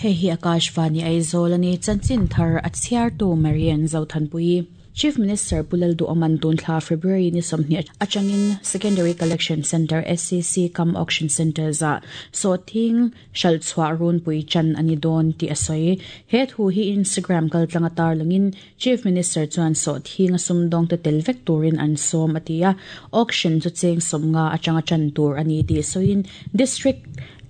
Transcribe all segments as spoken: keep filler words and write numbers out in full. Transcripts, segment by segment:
Hei hi Akashvani Aizawl ani chanchin thar a chhiar tu Marian Zothanpui. Chief Minister Pu Lalduhoma'n tun thla February ni sawmhnih atangin Secondary Collection Centre S C C cum Auction Centre za sawhthing hral chhuah runpui chan ani dawn tih a sawi. He thu hi Instagram kaltlang a tarlangin Chief Minister chuan sawhthing a sumdawng te tel vek turin an sawm a ti a. Auction chu cheng sawmnga atanga chan tur ani tih sawiin District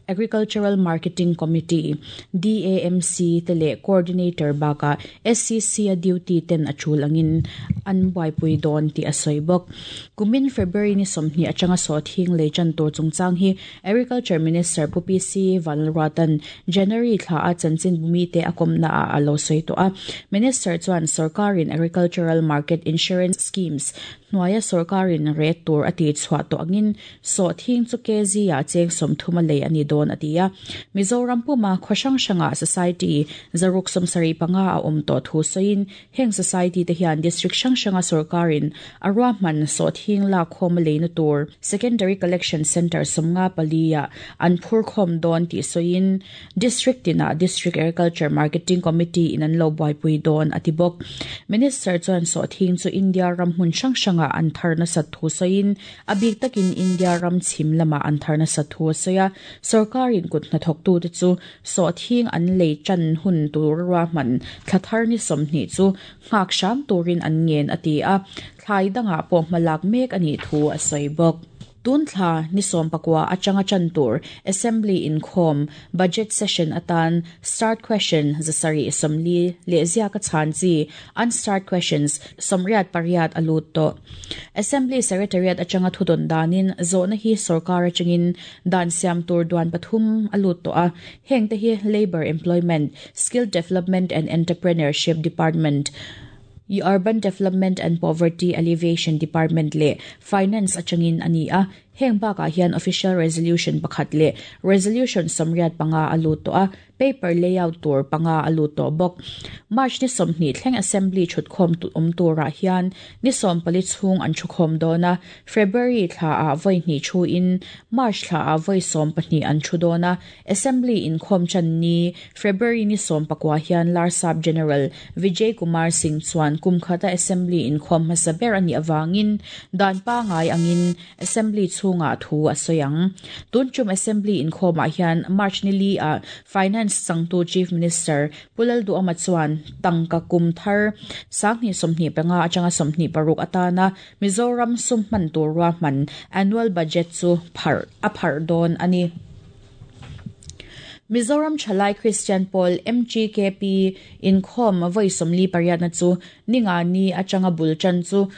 Agricultural Marketing Committee D A M C tele coordinator baka S C C a duty ten achul angin an buaipui dawn ti a sawi bawk. Kumin February ni sawmhnih atanga sawhthing lei chan tur chungchang hi Agriculture Minister Pu P C Vanlalruatan January thla a chanchin bumi te a kawmna a alo sawi tawh a. Minister chuan sarkarin Agricultural Market Insurance Schemes hnuaia sarkarin rate tur a ti chhuah tawh angin sawhthing chu kg a cheng sawmthum a lei ani dawn a ti a. Mizoram puma khaw hrang hranga society zaruk sawmsarih panga a awm tawh thu sawiin heng society te hian district hrang hranga sarkarin a ruahman sawhthing lak khawm a leina tur Secondary Collection Centre sawmnga pali a an phur khawm dawn tih sawiin district tina District Agriculture Marketing Committee in an lo buaipui dawn a ti bawk. Minister chuan sawhthing chu India ram hmun hrang hranga an tharna sat thu sawiin a bik takin India ram chhim lama an tharna sat thu a sawi a. Sarkarin kut hnathawk tu te chu sawhthing an lei chan hun tur ruahman thla thar ni sawmhnih chu nghak hram turin an ngen a ti a. Thlai dangah pawh hmalak mek ani thu a sawi bawk. Tun thla ni sawm pakua atanga chan tur Assembly inkhawm budget session atan start question zasari assembly le zia ka chan chi unstart questions somriat pariat alut to. Assembly Secretariat atanga thudon danin zona hi sarkar atangin dan siam tur duan pathum alut to a. Heng te hi Labor Employment, Skill Development and Entrepreneurship Department, Urban Development and Poverty Alleviation Department le Finance atangin ani a. Heng baka hian official resolution pakhat le resolution somriat panga alut to a. Paper layout tur panga alut to bawk. March ni sawmhnih thleng assembly thutkhawm tu awm turah hian ni sawm pali chhung an thukhawm dawn a. February thla a vawi hnih thu in March thla a vawi sawm pahnih an thu dawn a. Assembly inkhawm chan ni February ni sawm pakua hian Larsap General Vijay Kumar Singh chuan kum khata assembly inkhawm hmasa ber ani awangin dan pa ngai angin assembly chhunga thu a sawiang. Tun chum assembly inkhawmah hian March ni li a Finance sangtu Chief Minister Pu Lalduhoma chuan tangka kum thar sanghnih sawmhnih panga atanga sawmhnih paruk atana Mizoram sum hman tur ruahman annual budget chu phar a phar dawn ani. Mizoram Chalai Christian Pawl M G K P inkhawm vawi sawmli pariat na chu ninga ni atanga bul chan chu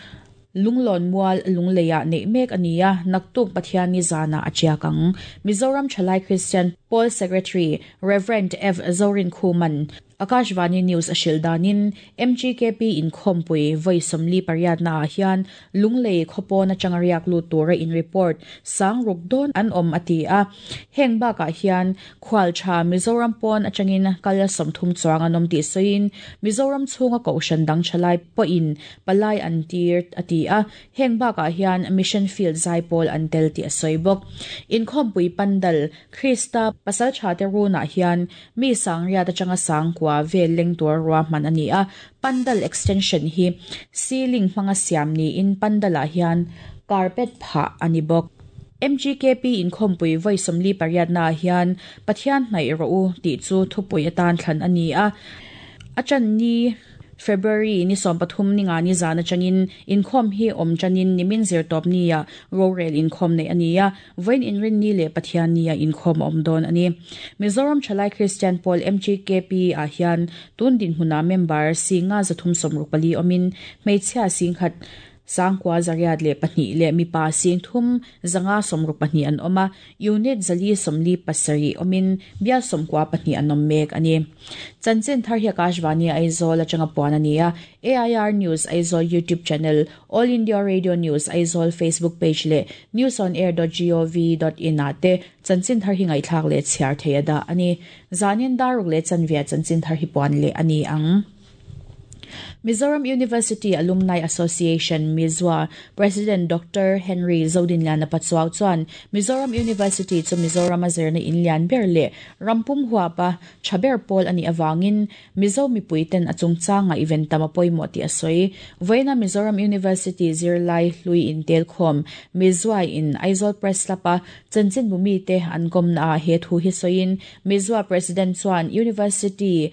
Lunglon mual lungleia nei mek ania naktuk Pathian ni zana achiakang. Mizoram Chalai Christian Pawl Secretary Reverend F Zorin Khuman Akashvani News ashil danin M G K P inkhawmpui vawi sawmli pariat na hian lunglei khawpawn atanga riak lut tura in report sang ruk dawn an awm ati a. Heng bakah hian khual tha Mizoram pawn atangin kal sawmthum chuang an awm tih sawiin Mizoram chhunga kohhran dang thalai pawhin palai an tir ati a. Heng bakah hian Mission Field Zaipawl an tel tih a sawi bawk. Inkhawmpui pandal Krista pasal tha te runah hian mi sang riat atanga sang kwa vel leng tur ruahman ani a. Pandal extension hi ceiling hmanga siam ni in pandala hian carpet pha ani bawk. M G K P inkhawmpui vawi sawmli pariat na hian Pathian hnaih rawh u tih chu thupui atan thlan ani a. A chan ni February ni sawm pathum ni nga ni zana changin inkhawm hi awm chanin nimin zirtawp ni a rorel inkhawm nei ani a. Vawiin inrin ni le Pathian ni a inkhawm awm dawn ani. Mizoram Chalai Christian Pawl M G K P ah hian tun dinhmuna member singa zathum sawmruk pali awmin hmeichhia singkhat sangkua zariat le pahnih le mipa sing thum zanga sawmruk pahnih an awm a. Unit zali sawmli pasarih awmin bial sawmkua pahnih an awm mek ani. Chanchin thar hi Akashvani Aizawl atanga puan ani a. A I R News Aizawl YouTube channel, All India Radio News Aizawl Facebook page le news on air dot gov dot in ah te chanchin thar hi ngaihthlak le chhiar thei a dah ani. Zanin daruk le chanvia chanchin thar hi puan le ani ang. Mizoram University Alumni Association Mizwa President Doctor Henry Zodinliana Pachuau chuan Mizoram University chu Mizoram a zirna in lian ber leh rampum huapa thaber pawl ani awangin Mizo mipuiten a chungchanga event tam a pawimawh tih a sawi. Vawiina Mizoram University zirlai hlui in tel khawm Mizwa in Aizawl Press Club a chanchin bumi te an kawmna ah he thu hi sawiin Mizwa President chuan University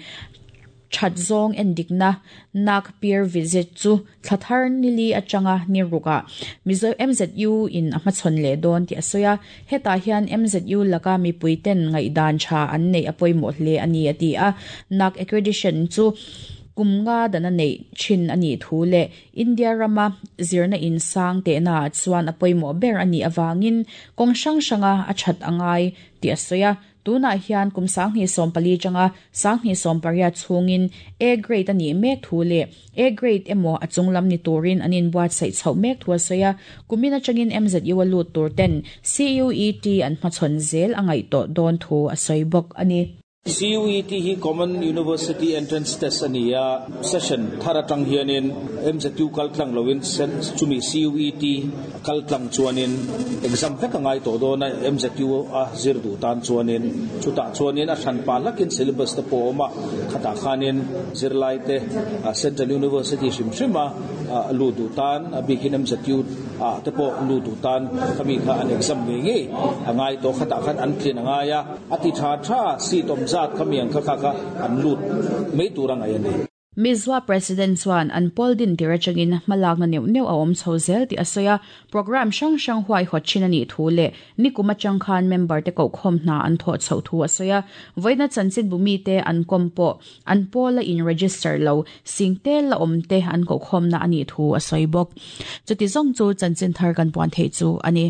thatzong endikna nak peer visit chu thlathar nili atanga ni ruka Mizo M Z U in a hmachhawn leh dawn tih a sawi a. Hetah hian M Z U laka mipuiten ngaihdan tha an nei a pawimawh hle ani a ti a. Nak accreditation chu kumnga dana nei thin ani thu le India rama zirna in sang te na chuan a pawimawh ber ani awangin kawng hrang hranga a that angai tih a sawi a. Tuna hian kum sang hnih sawm pali changa sang hnih sawm pariat chhungin A grade ani mek thu le A grade emaw a chunglam ni turin anin buatsaih chhoh mek thu a sawi a. Kumin atangin M Z U a lut tur ten C U E T an hmachhawn zel a ngaih tawh dawn thu a sawi bawk ani. C U E T hi Common University Entrance Test ani a session thar atang hianin M Z U kal tlang loin chumi C U E T kal tlang chuanin exam vek angai to do na M Z U a zir du tan chuanin chuta chuanin a than pa lakin syllabus te po ma khata khanin zirlai te Central University hrim hrima lu du tan a bikin M Z U a te po lu du tan khami kha an exam nge nge angai to khata khan an clean angaya ati tha tha seat om zat khamiang kha kha kha an lut mei turang ai ani. Mizwa President chuan an pawl din tir atangin hmalak na neuh neuh a awm chho zel tih a sawi a. Program hrang hrang huai hawt thin ani thu leh nikum atang khan member te koh khawm hna an thawh chhoh thu a sawi a. Vawiina chanchin bumi te an kawm pawh an pawl a in register lo sing te la awm te an koh khawm na ani thu a sawi bawk. Chuti zawng chu chanchin thar kan puan thei chu ani.